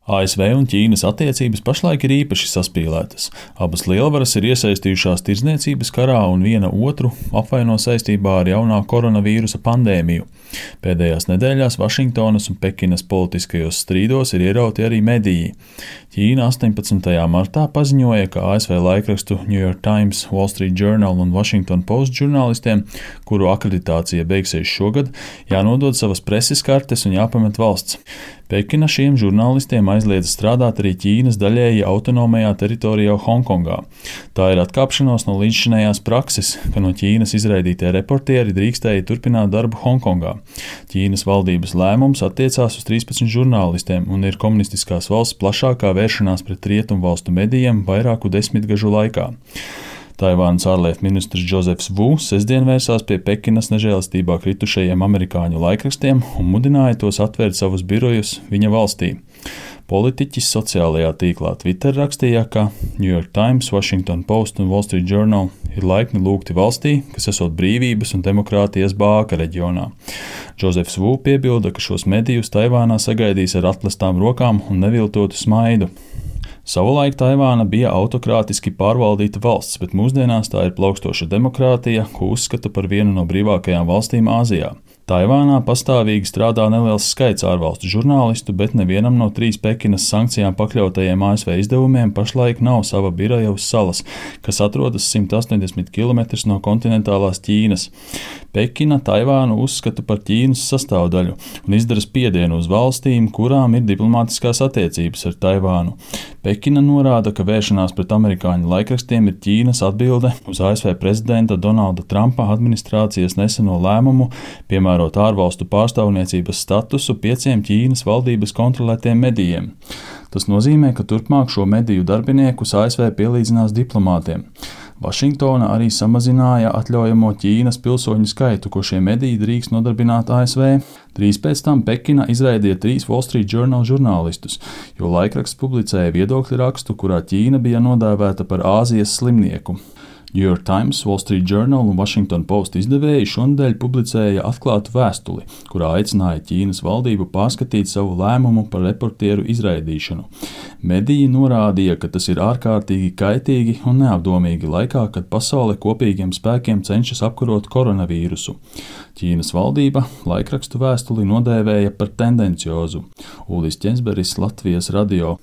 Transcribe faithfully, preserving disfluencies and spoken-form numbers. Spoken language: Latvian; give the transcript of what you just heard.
A S V un Ķīnas attiecības pašlaik ir īpaši saspīlētas. Abas lielvaras ir iesaistījušās tirdzniecības karā un viena otru apvaino saistībā ar jaunā koronavīrusa pandēmiju. Pēdējās nedēļās Vašingtonas un Pekinas politiskajos strīdos ir ierauti arī mediji. Ķīna astoņpadsmitajā martā paziņoja, ka A S V laikrakstu New York Times, Wall Street Journal un Washington Post žurnālistiem, kuru akreditācija beigsies šogad, jānodod savas preses kartes un jāpamet valsts. Pekina šiem žurnālistiem aizliedza strādāt arī Ķīnas daļēji autonomajā teritorijā Hongkongā. Tā ir atkāpšanās no līdzšinējās prakses, ka no Ķīnas izraidītie reportieri drīkstēja turpināt darbu Hongkongā. Ķīnas valdības lēmums attiecās uz trīspadsmit žurnālistiem un ir komunistiskās valsts plašākā vēršanās pret rietumvalstu medijiem vairāku desmitgažu laikā. Taivānas ārlietu ministrs Džozefs Vu sestdien vērsās pie Pekinas nežēlastībā kritušajiem amerikāņu laikrakstiem un mudināja tos atvērt savus birojus viņa valstī. Politiķis sociālajā tīklā Twitter rakstīja, ka New York Times, Washington Post un Wall Street Journal ir laipni lūgti valstī, kas esot brīvības un demokrātijas bāka reģionā. Džozefs Vu piebilda, ka šos medijus Taivānā sagaidīs ar atplestām rokām un neviltotu smaidu. Savulaik Taivāna bija autokrātiski pārvaldīta valsts, bet mūsdienās tā ir plaukstoša demokrātija, ko uzskata par vienu no brīvākajām valstīm Āzijā. Taivānā pastāvīgi strādā neliels skaits ārvalstu žurnālistu, bet nevienam no trīs Pekinas sankcijām pakļautajiem A S V izdevumiem pašlaik nav sava biroja uz salas, kas atrodas simt astoņdesmit kilometrus no kontinentālās Ķīnas. Pekina Taivānu uzskata par Ķīnas sastāvdaļu un izdara spiedienu uz valstīm, kurām ir diplomātiskās attiecības ar Taivānu. Pekina norāda, ka vēršanās pret amerikāņu laikrakstiem ir Ķīnas atbilde uz A S V prezidenta Donalda Trumpa administrācijas neseno lēmumu, piemēram, ārvalstu pārstāvniecības statusu pieciem Ķīnas valdības kontrolētiem medijiem. Tas nozīmē, ka turpmāk šo mediju darbiniekus A S V pielīdzinās diplomātiem. Vašingtona arī samazināja atļaujamo Ķīnas pilsoņu skaitu, ko šie mediji drīkst nodarbināt A S V. Drīz pēc tam Pekina izraidīja trīs Wall Street Journal žurnālistus, jo laikraksts publicēja viedokļu rakstu, kurā Ķīna bija nodēvēta par Āzijas slimnieku. New York Times, Wall Street Journal un Washington Post izdevēji šonadēļ publicēja atklātu vēstuli, kurā aicināja Ķīnas valdību pārskatīt savu lēmumu par reportieru izraidīšanu. Mediji norādīja, ka tas ir ārkārtīgi kaitīgi un neapdomīgi laikā, kad pasaule kopīgiem spēkiem cenšas apkarot koronavīrusu. Ķīnas valdība laikrakstu vēstuli nodēvēja par tendenciozu. Ulis Ķensberis, Latvijas radio.